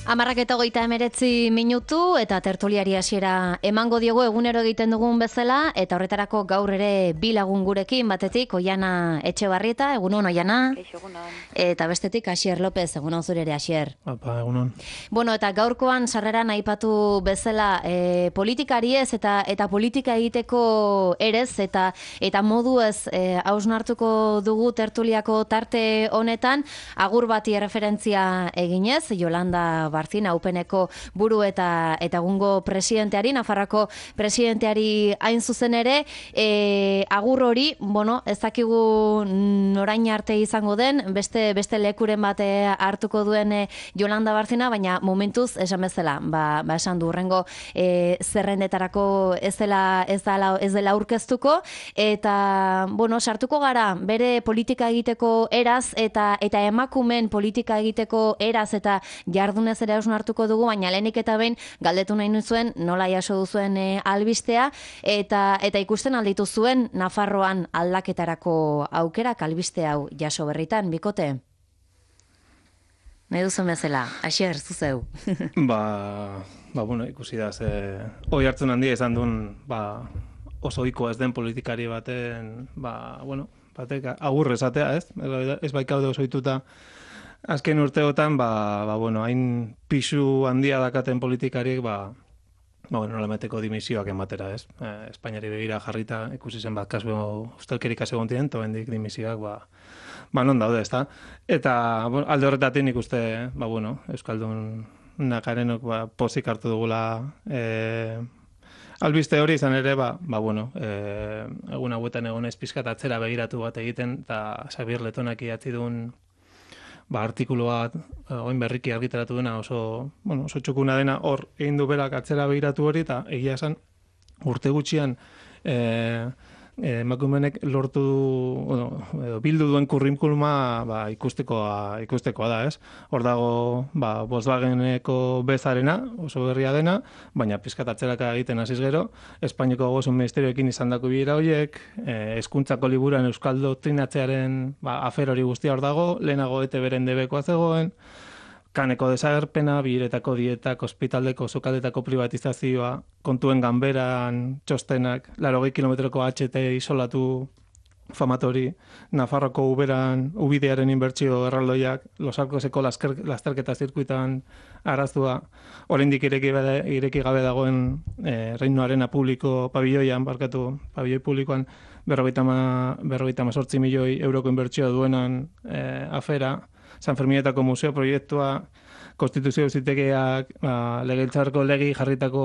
(10:39) eta tertuliari hasiera emango diogu egunero egiten dugun bezala, eta horretarako gaur ere bi lagun gurekin, batetik Oiana Etxebarrieta, egunon Oiana. Egunon. Eta bestetik Asier López, egunon zure ere Asier. Apa, egunon. Bueno, eta gaurkoan sarreran aipatu bezala politikari ez eta politika egiteko erez eta modu ez hausnartuko dugu tertuliako tarte honetan, agur bati referentzia eginez, Yolanda Barcina, UPNeko buru eta egungo presidenteari, Nafarroako presidenteari hain zuzen ere, agur hori, bueno, ez dakigu norain arte izango den, beste lekuren bat hartuko duen Yolanda Barcina, baina momentuz esan bezala, esan du hurrengo zerrendetarako ez dela aurkeztuko, eta, bueno, sartuko gara bere politika egiteko eraz eta emakumen politika egiteko eraz eta jardunez ere hausnartuko dugu, baina lehenik eta behin galdetu nahi nuzuen nola jaso duzuen albistea eta ikusten alditu zuen Nafarroan aldaketarako aukerak albiste hau jaso berritan, bikote? Nahi duzen bezala, Asier, zuzeu. Bueno, ikusi da, hoi hartzen handia izan duen, oso ohikoa ez den politikari baten, batek agur esatea, ez? Ez baikaude oso ohituta azken urteotan, hain pisu handia dakaten politikariek, nolameteko dimisioak ematera, ez? Espainiari begira jarrita, ikusi zen kasu ustelkerik egon diren, tobendik dimisioak, non daude, ez da? Eta, alde horretatik nik uste, Euskaldun nakarenok pozik hartu dugula albiste hori izan ere, egun hauetan egon ez pizkat atzera begiratu bat egiten, eta Xabier Letonak idatzi duen artikulu bat, oin berriki argitaratu dena, oso txukuna dena, hor egin du berak atzera begiratu hori, eta egia esan urte gutxian emakumenek lortu edo bildu duen kurrikuluma ikustekoa da, ez? Hor dago Volkswageneko bezarena, oso berria dena, baina pizkat atzeraka egiten hasiz gero, Espainiako Ogasun Ministerioekin izandako bilera horiek, hezkuntzako liburuan euskal doktrinatzearen afer hori guztia hor dago, lehenago ETB-ren debekoa zegoen, kaneko desagerpena, biletako dietak, ospitaldeko, sukaldetako privatizazioa, kontuen ganberan txostenak, 80 kilometroko HT isolatu famatori, Nafarroko ubidearen inbertsio erraldoiak, Los Arcoseko lasterketa zirkuitan araztua, oraindik ireki gabe dagoen Reinoarena publiko pabilloian, pabilloi publikoan 58 milioi euroko inbertsioa duenan afera, San Ferminetako museo proiektua, konstituzio auzitegiak, legebiltzarreko legi jarritako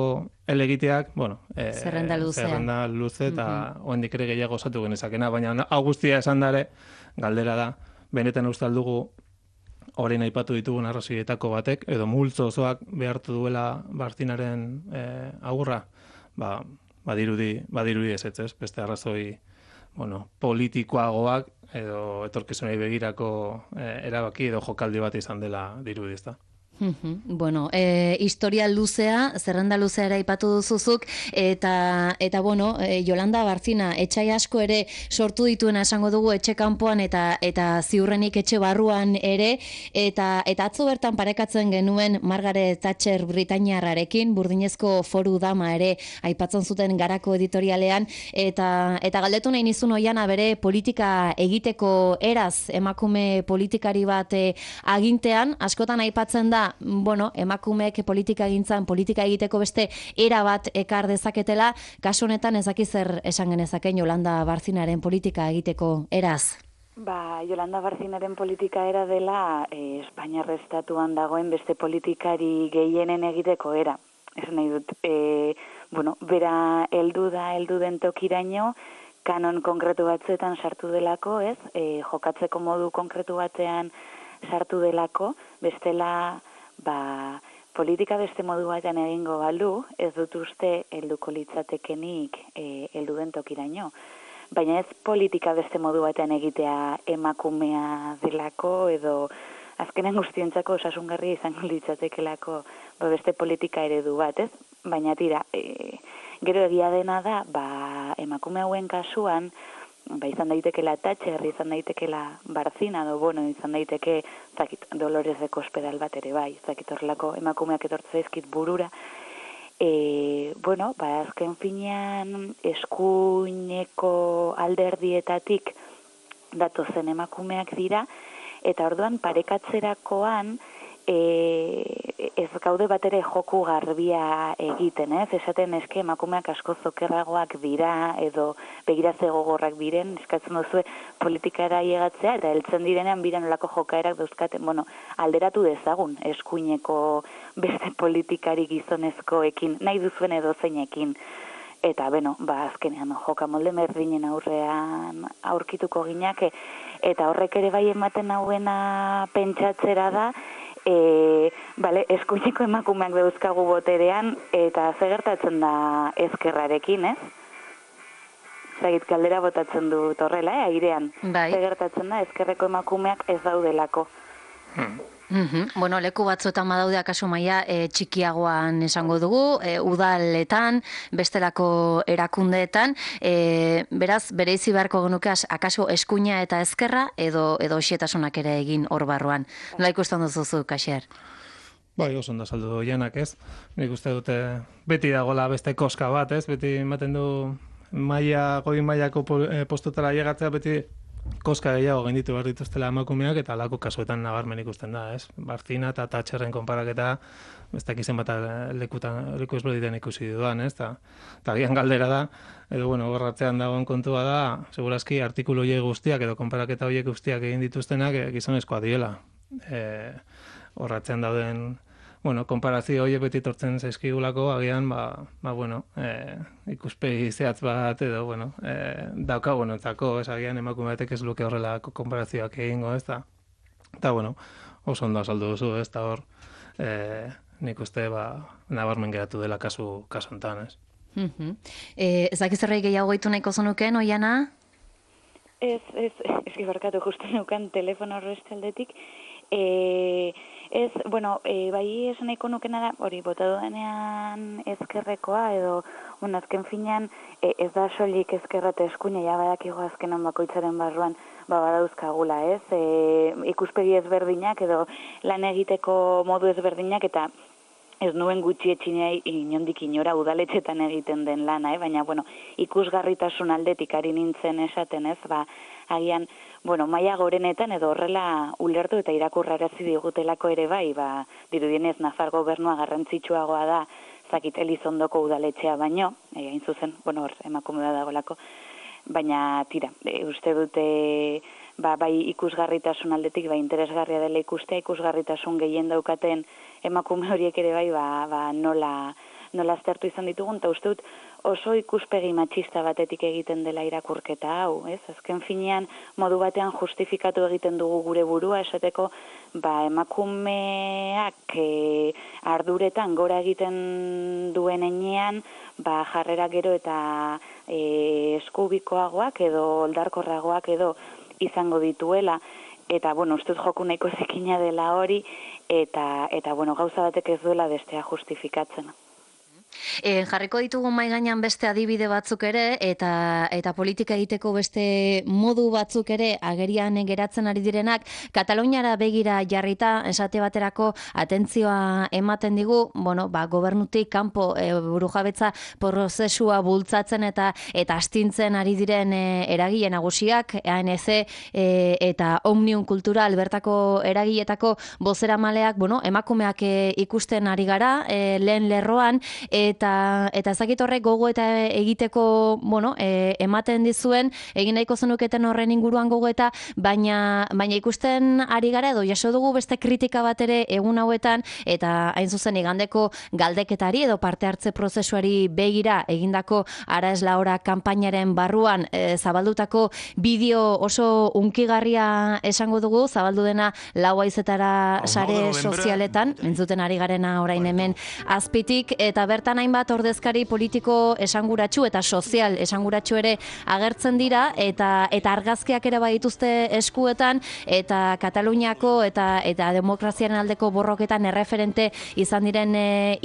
elegiteak, zerrenda luze eta oraindik ere gehiago osatu genezakena, baina hau guztia esan dare, galdera da, benetan uste aldugu orain aipatu ditugun arrazoietako batek, edo multzo osoak behartu duela Barcinaren agurra, badirudi ez, beste arrazoi politikoagoak edo etorkizunei begirako erabaki edo jokaldi bat izan dela dirudi, ezta. Bueno, historia luzea, zerrenda luzea ere aipatu duzuzuk, eta Yolanda Barcina, etxai asko ere sortu dituena esango dugu etxe kanpoan eta ziurrenik etxe barruan ere, eta atzo bertan parekatzen genuen Margaret Thatcher Britainiarrarekin, burdinezko foru dama ere aipatzen zuten Garako editorialean, eta galdetu nahi nizun Oiana bere politika egiteko eraz, emakume politikari bat agintean, askotan aipatzen da emakumeek politika egiteko beste era bat ekar dezaketela, kasu honetan ez dakit zer esan genezaken Yolanda Barcinaren politika egiteko eraz. Yolanda Barcinaren politika era dela Espainiar estatuan dagoen beste politikari gehienen egiteko era. Esan nahi dut, bera heldu den tokiraino, kanon konkretu batzuetan sartu delako, ez? Jokatzeko modu konkretu batean sartu delako, bestela politika beste modu batean egingo balu, ez dut uste helduko litzatekenik heldu den tokiraino. Baina ez politika beste modu batean egitea emakumea delako edo azkenen guztientzako osasungarria izango litzatekelako beste politika eredu bat, ez? Baina tira, gero egia dena da, emakume hauen kasuan, izan daitekela Thatcher, izan daitekela Barcina, bueno, izan daiteke, zakit, Dolores de Cospedal bat ere bai, zakit horrelako emakumeak etortze zaizkit burura. Bueno, azken finean eskuineko alderdietatik datozen emakumeak dira, eta orduan parekatzerakoan ez gaude bat ere joku garbia egiten, ez? Esaten eske emakumeak asko zokerragoak dira edo begiratze gogorrak diren, eskatzen duzue politikara llegatzea eta heltzen direnean biran olako jokaerak dauzkaten, bueno, alderatu dezagun eskuineko beste politikari gizonezkoekin, nahi duzuen edo zeinekin. Eta, azkenean jokamolde berdinen aurrean aurkituko ginake, eta horrek ere bai ematen hauena pentsatzera da, eskuineko emakumeak dauzkagu boterean, eta zegertatzen da ezkerrarekin, ez? Zagit, galdera botatzen dut horrela, airean. Bai. Zegertatzen da ezkerreko emakumeak ez daudelako. Bueno, leku batzuetan badaude akaso maila txikiagoan esango dugu, udaletan, bestelako erakundeetan, beraz, bereizi beharko genuke akaso eskuina eta ezkerra edo xietasunak ere egin hor barruan. Nola ikusten duzu, Kaxier? Bai, oso ondo saldu janak, ez? Nik uste dute beti dagoela beste koska bat, ez? Beti ematen du goi mailako postutara llegatzea beti koska gehiago gainditu behar dituztela emakumeak eta alako kasuetan nabarmen ikusten da, ez? Barcina eta Thatcherren konparaketa ez dakizen bat leku ezberditen ikusi dudan, ez? Eta gian galdera da, edo, gorratzean dagoen kontua da, segurazki artikulu horiek guztiak edo konparaketa horiek guztiak egin dituztenak gizonezkoa diela. Horratzean dauden, konparazio horiek beti tortzen zaizkigulako, agian, ikuspegi zehatz bat edo, daukagu entzako, agian emakume batek ez luke horrelako konparazioak egingo, ez da. Eta, oso ondo azaldu duzu, ez da hor, nik uste, nabarmen geratu dela kasu hontan, ez. Ez dakizerrei gehiago gaitu nahiko zenuken, Oiana? Ez, barkatu justu neukan telefono horrezte aldetik. Bai esan nahiko nukena da, hori, bota duenean ezkerrekoa, edo, azken finean, ez da soilik ezkerra eta eskuina, ja badakigo azkenan bakoitzaren barruan, badauzkagula, ez? Ikuspegi ezberdinak, edo lan egiteko modu ezberdinak, eta ez nuen gutxi etxinei inondik inora udaletxetan egiten den lana, baina, ikusgarritasun aldetik ari nintzen esaten, ez? Agian, maila gorenetan edo horrela ulertu eta irakurrarazi digutelako ere bai, dirudienez Nafar gobernua garrantzitsuagoa da, zakit Elizondoko udaletxea baino, hain zuzen, hor, emakume bat dagolako, baina tira, uste dute, bai ikusgarritasun aldetik, interesgarria dela ikustea, ikusgarritasun gehien daukaten emakume horiek ere bai, nola aztertu izan ditugun, eta uste dut oso ikuspegi matxista batetik egiten dela irakurketa hau, ez? Azken finean modu batean justifikatu egiten dugu gure burua, esateko emakumeak arduretan gora egiten duen enean, jarrera gero eta eskubikoagoak edo oldarkorragoak edo izango dituela, eta, uste dut joku nahiko zikina dela hori, eta gauza batek ez duela bestea justifikatzen. Jarriko ditugu mahai gainean beste adibide batzuk ere eta politika egiteko beste modu batzuk ere agerian geratzen ari direnak Kataluniara begira jarrita esate baterako atentzioa ematen digu, gobernutik kanpo burujabetza prozesua bultzatzen eta astintzen ari diren eragile nagusiak, ANC eta Omnium Kultural bertako eragiletako bozeramaleak, emakumeak ikusten ari gara lehen lerroan eta ezakit horrek gogo eta egiteko, ematen dizuen, egin nahiko zenuketen horren inguruan gogoeta, baina ikusten ari gara edo jaso dugu beste kritika bat ere egun hauetan, eta hain zuzen igandeko galdeketari edo parte hartze prozesuari begira egindako Ara ez la hora kanpainaren barruan zabaldutako bideo oso hunkigarria esango dugu, zabaldu dena 4 haizetara sare sozialetan, entzuten ari garena orain hemen azpitik, eta bertan bertan hainbat ordezkari politiko esanguratsu eta sozial esanguratsu ere agertzen dira, eta argazkiak ere badituzte eskuetan, eta Kataluniako eta demokraziaren aldeko borroketan erreferente izan diren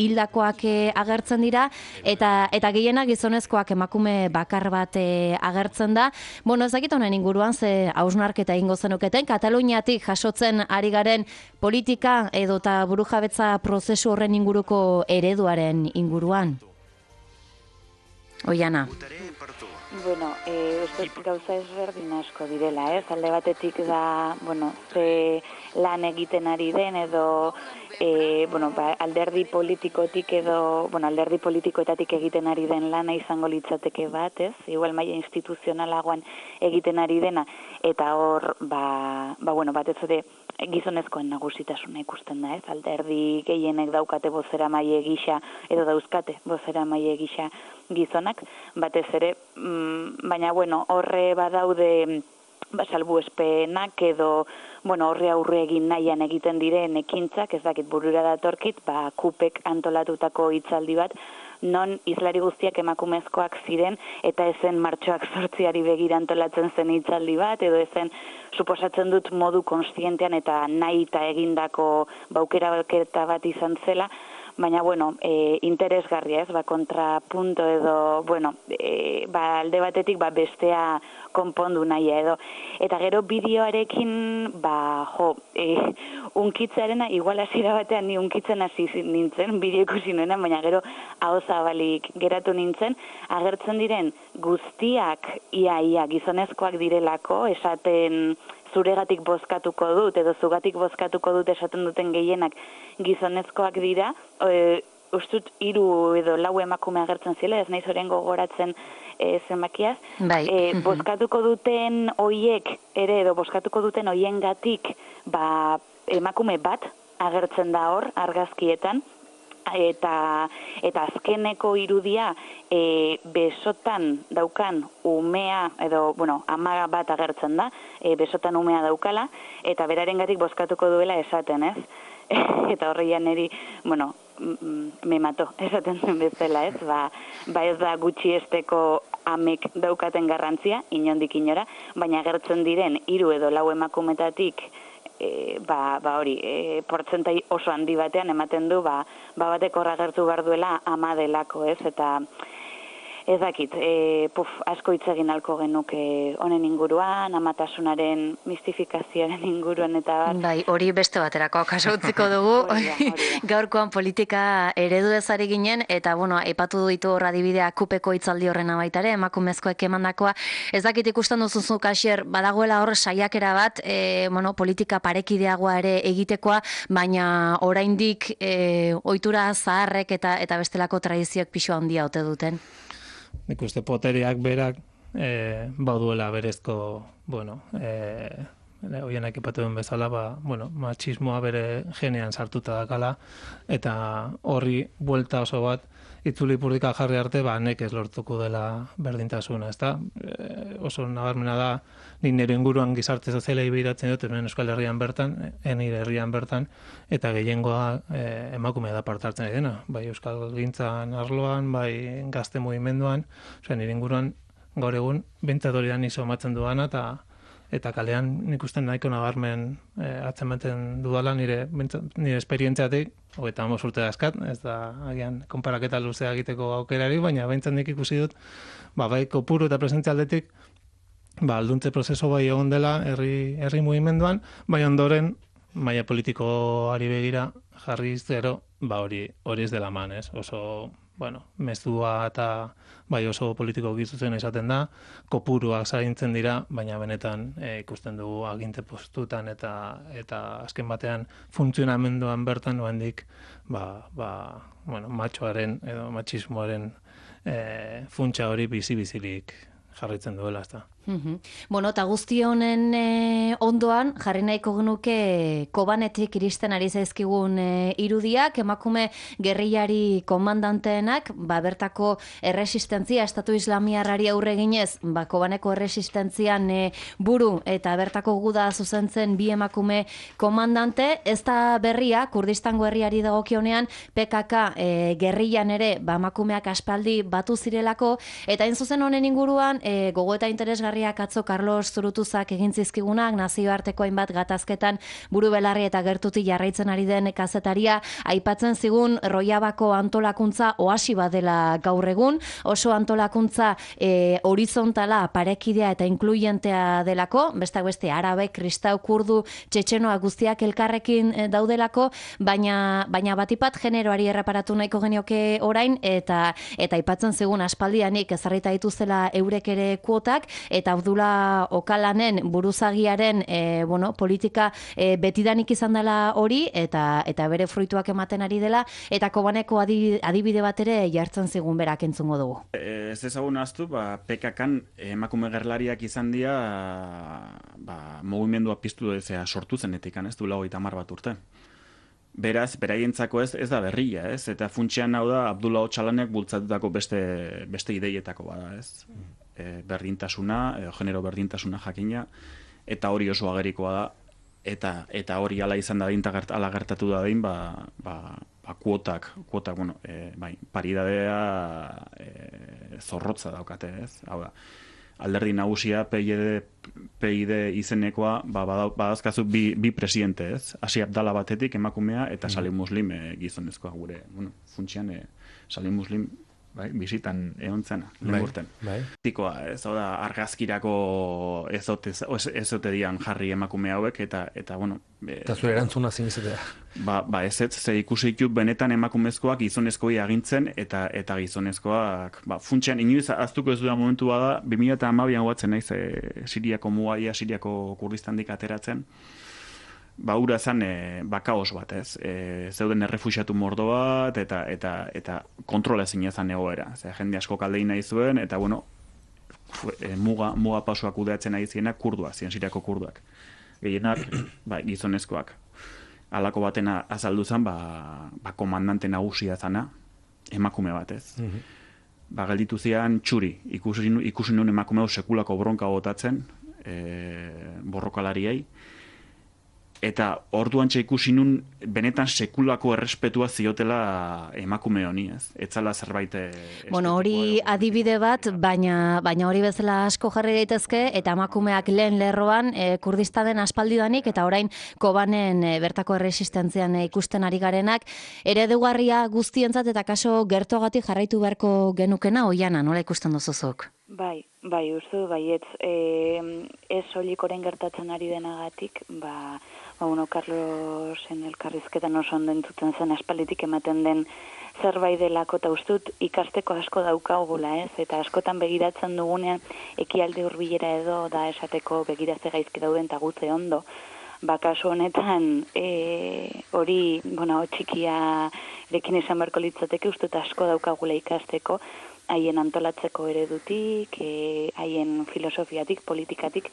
hildakoak agertzen dira, eta gehienak gizonezkoak, emakume bakar bat agertzen da. Bueno, ez dakit honen inguruan ze hausnarketa egingo zenuketen, Kataluniatik jasotzen ari garen politika edota burujabetza prozesu horren inguruko ereduaren inguruan. Oiana. Bueno, uste gauza ezberdin asko direla, ez? Alde batetik da, bueno, ze lan egiten ari den edo alderdi politikotik edo, alderdi politikoetatik egiten ari den lana izango litzateke bat, ez? Igual maila instituzionalagoan egiten ari dena, eta hor, batez ere gizonezkoen nagusitasuna ikusten da, ez? Alderdi gehienek daukate bozeramaile gisa edo dauzkate bozeramaile gisa gizonak, batez ere, baina, horre badaude salbuespenak edo, horre aurre egin nahian egiten diren ekintzak, ez dakit burura datorkit, kupek antolatutako hitzaldi bat, non izlari guztiak emakumezkoak ziren, eta ezen martxoak 8 begira antolatzen zen hitzaldi bat, edo ezen suposatzen dut modu konstientean eta nahi eta egindako aukera bat izan zela, baina, interesgarria, ez, kontrapunto edo, alde batetik, bestea konpondu nahi edo. Eta gero bideoarekin, unkitzearena, igual hasiera batean ni unkitzen hasi nintzen, bideo ikusi nuena, baina gero aho zabalik geratu nintzen, agertzen diren guztiak ia gizonezkoak direlako, esaten zuregatik bozkatuko dut, edo zugatik bozkatuko dut esaten duten gehienak gizonezkoak dira, ustut 3 edo 4 emakume agertzen zile, ez naiz orain gogoratzen zenbakiaz, bozkatuko duten hoiek ere, edo bozkatuko duten hoiengatik, emakume bat agertzen da hor, argazkietan, eta azkeneko irudia besotan daukan umea, edo, ama bat agertzen da, besotan umea daukala, eta berarengatik bozkatuko duela esaten, ez? Eta horreian eri, me mato, esaten zen bezala, ez? Ez da gutxiesteko amek daukaten garrantzia, inondik inora, baina agertzen diren 3 edo 4 emakumetatik hori, portzentai oso handi batean ematen du, batek horra gertu behar duela ama delako, ez? Eta ez dakit, asko hitz egin alko genuke honen inguruan, amatasunaren mistifikazioaren inguruan eta bat. Bai, hori beste baterako kaso utziko dugu. Gaurkoan politika eredu ezari ginen, eta, aipatu ditu horra adibidea kupeko hitzaldi horrena baita ere, emakumezkoek emandakoa. Ez dakit ikusten duzuzu, Kasier, badagoela hor saiakera bat, politika parekideagoa ere egitekoa, baina oraindik ohitura zaharrek eta bestelako tradizioak pisu handia ote duten. Nik uste poteriak berak bauduela berezko, hoienak ipatu duen bezala, machismoa bere genean sartuta dakala, eta horri buelta oso bat itzulipurdika jarri arte, nekez lortuko dela berdintasuna, ezta? Oso nabarmena da, nik nire inguruan gizarte sozialei behiratzen dut, Euskal Herrian bertan, nire herrian bertan, eta gehiengoa emakumea da parte hartzen dena, bai Euskal Gintzan arloan, bai gazte mugimenduan, nire inguruan gaur egun bentzadorian iso matzen duana, eta kalean nik usten nahiko nabarmen atzematen dudala nire esperientziatik, 35 urte dazkat, ez da agian konparaketa luzea egiteko aukerari, baina behintzen nik ikusi dut, bai kopuru eta presentzialdetik, alduntze prozeso bai egon dela herri mugimenduan, bai ondoren maila politikoari begira jarri zero, hori ez dela man, ez? Oso, mezua eta bai oso politiko gizuzen esaten da, kopuruak zaintzen dira, baina benetan ikusten dugu aginte postutan eta azken batean funtzionamenduan bertan oraindik matxoaren edo matxismoaren funtsa hori bizi-bizirik jarraitzen duela, ezta. Bueno, eta guzti honen ondoan, jarri nahiko genuke Kobanetik iristen ari zaizkigun irudiak, emakume gerrillari komandanteenak, bertako erresistentzia, Estatu Islamiarrari aurre ginez, Kobaneko erresistentzian buru eta bertako guda zuzentzen bi emakume komandante, ez da berria, Kurdistango herriari dagokionean, PKK gerrillan ere, emakumeak aspaldi batu zirelako, eta hain zuzen honen inguruan, gogo eta interesgarriak atzo Carlos Zurutuzak egin zizkigunak, nazioarteko hainbat gatazketan buru belarri eta gertuti jarraitzen ari den kazetaria, aipatzen zigun Rojavako antolakuntza oasi badela gaur egun, oso antolakuntza horizontala, parekidea eta inkluyentea delako, besteak beste arabe, kristau, kurdu, txetxenoa guztiak elkarrekin daudelako, baina batipat generoari erreparatu nahiko genioke orain, eta aipatzen zigun aspaldianik ezarrita dituzela eurek ere kuotak, eta Abdullah Okalanen buruzagiaren politika betidanik izan dela hori, eta bere fruituak ematen ari dela, eta Kobaneko adibide bat ere jartzen zigun berak entzungo dugu. Ez ezagun aztu, PKK-an emakume gerlariak izan dira mugimendua piztu sortu zenetik, ez du 30 bat urte. Beraz, beraientzako ez da berria, ez? Eta funtsean hau da Abdullah Okalanek bultzatutako beste ideietako bada, ez? Berdintasuna, genero berdintasuna jakina, eta hori oso agerikoa da, eta hori ala izan da ala gertatu da dain, kuotak, paridadea zorrotza daukate, ez? Hau da, alderdi nagusia PID izenekoa, badazkazu bi presidente, ez? Hasi Abdala batetik emakumea, eta Salim Muslim gizonezkoa gure, funtsian Salim Muslim bizitan egon zena, lehurten. Tikoa, ez da, argazkirako ezote dian jarri emakume hauek, eta eta zure erantzuna zin izatea. Ez ze ikusi ditut benetan emakumezkoak gizonezkoi agintzen, eta gizonezkoak, funtsean, inoiz aztuko ez duda momentu bada, 2012an guatzen naiz, Siriako mugaia, Siriako Kurdistandik ateratzen, ura zan kaos bat, ez? Zeuden errefuxiatu mordo bat, eta kontrola ezin ezan egoera. Jende asko kaldein nahi zuen, eta muga pasoak kudeatzen nahi zienak kurduak, Siriako kurduak. Gehienak, gizonezkoak. Halako batena azaldu zen, komandante nagusia zana, emakume bat, ez? Gelditu zian txuri, ikusi nuen emakume hau sekulako bronka botatzen, borrokalariei, eta orduan ikusi nun benetan sekulako errespetua ziotela emakume honi, ez? Etzala zerbait hori adibide bat, baina hori bezala asko jarri daitezke, eta emakumeak lehen lerroan Kurdistanen aspaldidanik, eta orain Kobanen bertako erresistentzian ikusten ari garenak, eredugarria guztientzat eta kaso gertuagatik jarraitu beharko genukena, Oiana, nola ikusten duzuzuk? Bai, baietz, ez soilik orain gertatzen ari denagatik, Carlosen elkarrizketan oso ondo entzuten zen aspalditik ematen den zerbait delako, eta ustut ikasteko asko daukagula, ez? Eta askotan begiratzen dugunean ekialde hurbilera edo da esateko begiratze gaizki dauden eta gutze ondo. Kasu honetan hori, txikia erekin esan beharko litzateke, ustut asko daukagula ikasteko, haien antolatzeko eredutik, haien filosofiatik, politikatik,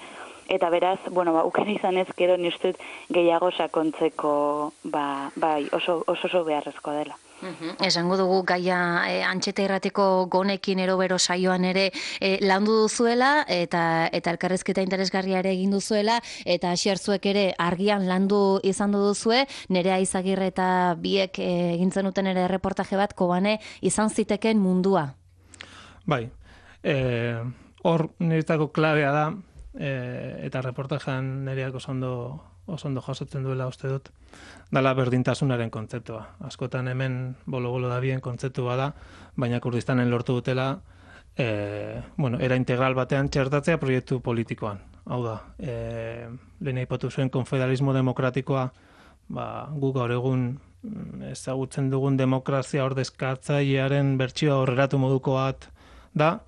eta beraz, ukera izan ez gero nistut gehiago sakontzeko, oso beharrezko dela. Esango dugu gaia Antxeta Irratiko Gonekin erobero saioan ere landu duzuela, eta elkarrezketa interesgarria ere egin duzuela, eta Xertzuek ere argian landu izan duzue, Nerea Izagirre eta biek egintzen duten ere reportaje bat Kobane izan ziteken mundua. Bai, hor niretako klabea da, eta reportajean Nereak oso ondo jasotzen duela uste dut, dala berdintasunaren kontzeptua. Askotan hemen bolo-bolo da bien kontzeptua da, baina Kurdistanen lortu dutela, era integral batean txertatzea proiektu politikoan. Hau da, lehen aipatu zuen konfederalismo demokratikoa, guk gaur egun ezagutzen dugun demokrazia ordezkatzailearen bertsioa horreratu moduko bat da,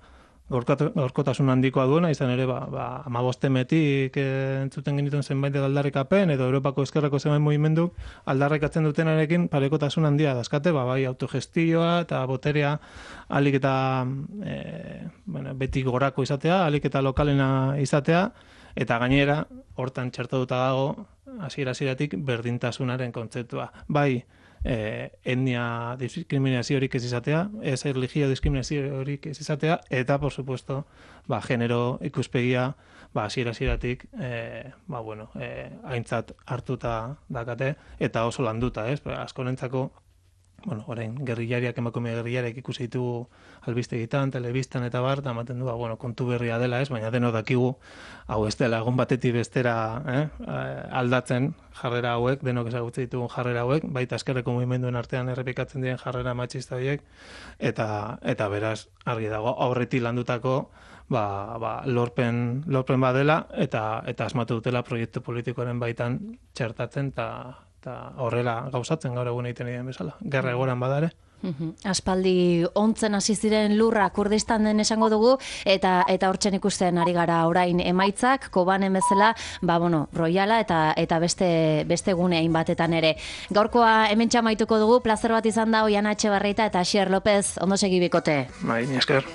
gaurkotasun handikoa duena, izan ere, 15 entzuten genituen zenbait aldarrikapen, edo Europako ezkerrako zenbait mugimendu aldarrikatzen dutenarekin parekotasun handia dazkate, bai autogestioa eta boterea alik eta beti gorako izatea, alik eta lokalena izatea, eta gainera, hortan txertatuta dago, hasiera-hasieratik berdintasunaren kontzeptua. Bai, etnia diskriminaziorik ez izatea, ez erlijio diskriminaziorik ez izatea, eta, por supuesto, genero ikuspegia, hasiera-hasieratik, aintzat hartuta dakate, eta oso landuta, ez? Askorentzako, orain, gerrillariak, emakume gerrillariak ikusi ditugu albistegitan, telebistan eta bar, eta ematen du, kontu berria dela, ez? Baina deno dakigu, hau ez dela, egun batetik bestera aldatzen jarrera hauek, denok ezagutzen ditugun jarrera hauek, baita eskerreko mugimenduen artean errepikatzen diren jarrera matxista horiek, eta beraz, argi dago, aurretik landutako, lorpen badela, eta asmatu dutela proiektu politikoaren baitan txertatzen, eta horrela gauzatzen gaur egun egiten diren bezala. Gerra egoran badare. Aspaldi ontzen hasi ziren lurra Kurdistan den esango dugu, eta hortzen ikusten ari gara orain emaitzak, Kobanen bezala, Royala eta beste gune hainbatetan ere. Gaurkoa hemen txamaituko dugu, plazer bat izan da Oiana Etxebarrieta eta Asier López, ondo segi bikote. Bai, esker.